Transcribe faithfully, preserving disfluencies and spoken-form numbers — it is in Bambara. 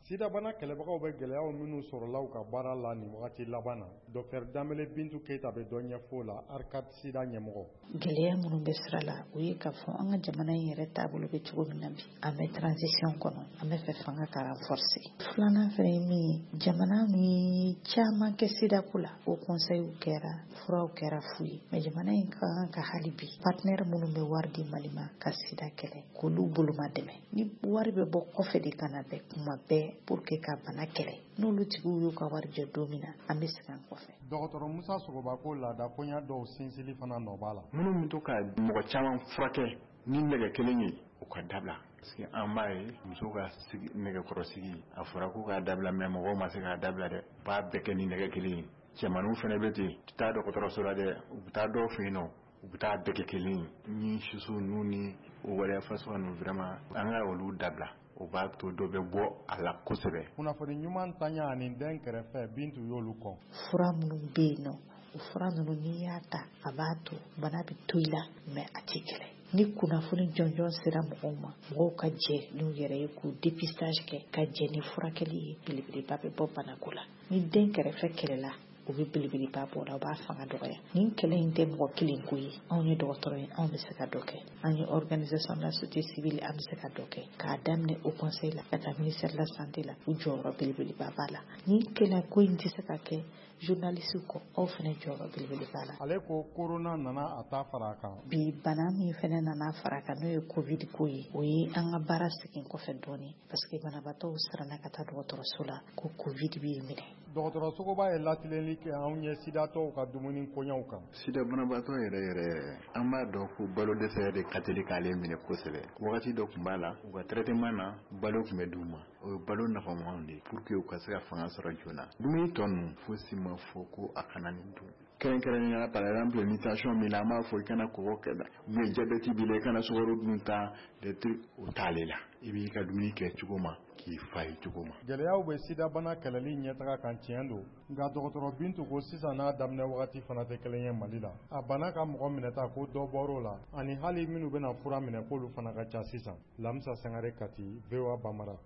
Sidabana kɛlɛbagaw bɛ gɛlɛyaw minnu sɔrɔla u ka baara la nin wagati laban na, Doctor Danbɛlɛ Bintu Keyita bɛ dɔ ɲɛfɔ o la, ARCAD Sida ɲɛmɔgɔ. Gɛlɛya minnu bɛ sira la, o ye k'a fɔ an ka jamana in yɛrɛ taabolo bɛ cogo min na bi, an bɛ transition kɔnɔ, an bɛ fɛ fanga ka renforcer. Filanan fana ye min ye, jamana min caman kɛ sidako la, o conseil kɛra, furaw kɛra fu ye, mais jamana in ka kan ka hali bi partenaire minnu bɛ wari di Mali ma ka sida kɛlɛ, k'olu boloma dɛmɛ. Ni wari bɛ bɔ kɔfɛ de ka na bɛɛ kuma bɛɛ pour que ka bana kɛlɛ, n'olu tigiw y'u ka wari jɔ don min na, an bɛ segin an kɔfɛ. Dɔgɔtɔrɔ Musa Sogoba ko laada koɲa dɔw sinsili fana nɔ b'a la. Minnu bɛ to ka mɔgɔ caman furakɛ ni nɛgɛ kelen ye, o ka dabila, parce que an b'a ye muso ka nɛgɛkɔrɔsigi, a fɔra ko k'a dabila, mais mɔgɔw ma se k'a dabila dɛ, u b'a bɛɛ kɛ ni nɛgɛ kelen ye. Cɛmaninw fana bɛ ten, u tɛ taa dɔgɔtɔrɔso la dɛ, u bɛ taa dɔw fɛ yen nɔ, u bɛ taa bɛɛ kɛ kelen ye. Ni siso ninnu ni o waleya fasuguya ninnu, vraiment an ka olu dabila, o b'a to dɔ bɛ bɔ a la kosɛbɛ. Kunnafoni ɲuman tanya ani den kɛrɛfɛ, Bintu y'olu kɔn. Fura minnu bɛ yen nɔ, o fura ninnu n'i y'a ta, a b'a to bana bɛ to i la, mais a t'i kɛlɛ. Ni kunnafoni jɔnjɔn sera mɔgɔw ma, mɔgɔw ka jɛ n'u yɛrɛ ye k'u dépistage kɛ, ka jɛ ni furakɛli ye, belebeleba bɛ bɔ banako la. Ni den kɛrɛfɛ kɛlɛla, o bɛ belebeleba bɔ la, o b'a fanga dɔgɔya. Nin kɛlɛ in tɛ mɔgɔ kelen ko ye, anw ye dɔgɔtɔrɔ ye, anw bɛ se ka dɔ kɛ, an ye organisation de la société civile, an bɛ se ka dɔ kɛ, k'a daminɛ au conseil la ka taa ministère de la santé la, u jɔyɔrɔ belebeleba b'a la. Nin kɛlɛ ko in tɛ se ka kɛ journaliste kɔ, aw fana jɔyɔrɔ belebele b'a la. Ale ko corona nana a ta fara a kan. Bi bana min fana nana fara a kan, n'o ye covid ko ye, o ye an ka baara segin kɔfɛ dɔɔnin, parce que banabaatɔw siranna ka taa dɔgɔtɔrɔso la ko covid b'i minɛ. Dɔgɔtɔrɔ Sogoba ye latilenli kɛ anw ye sidatɔw ka dumuni koɲɛw kan. Sida banabaatɔ yɛrɛ yɛrɛ, an b'a dɔn ko balo dɛsɛ de ka teli k'ale minɛ kosɛbɛ. Wagati dɔ tun b'a la, u ka traitement na, balo tun bɛ d'u ma, o ye balo nafamaw de ye pour que u ka se ka fanga sɔrɔ joona. Dumuni tɔ ninnu, fosi ma fɔ ko a kana nin dun. Kɛrɛnkɛrɛnnenya la, par exemple ni tension b'i la, an b'a fɔ i kana kɔgɔ kɛ, ou bien diabète b'i la, i kana sukaro dun ta, des trucs, o t'ale la. I b'i ka dumuni kɛ cogo ma k'i fa ye cogo ma. Gɛlɛyaw bɛ sidabana kɛlɛli ɲɛtaga kan, tiɲɛ don, nka dɔgɔtɔrɔ Bintu ko sisan n'a daminɛ wagati fana tɛ kelen ye Mali la. A bana ka mɔgɔ minɛta ko dɔ bɔr'o la, ani hali minnu bɛna fura minɛ, k'olu fana ka ca sisan. Lamisa Sangare, Kati, V O A Bambara.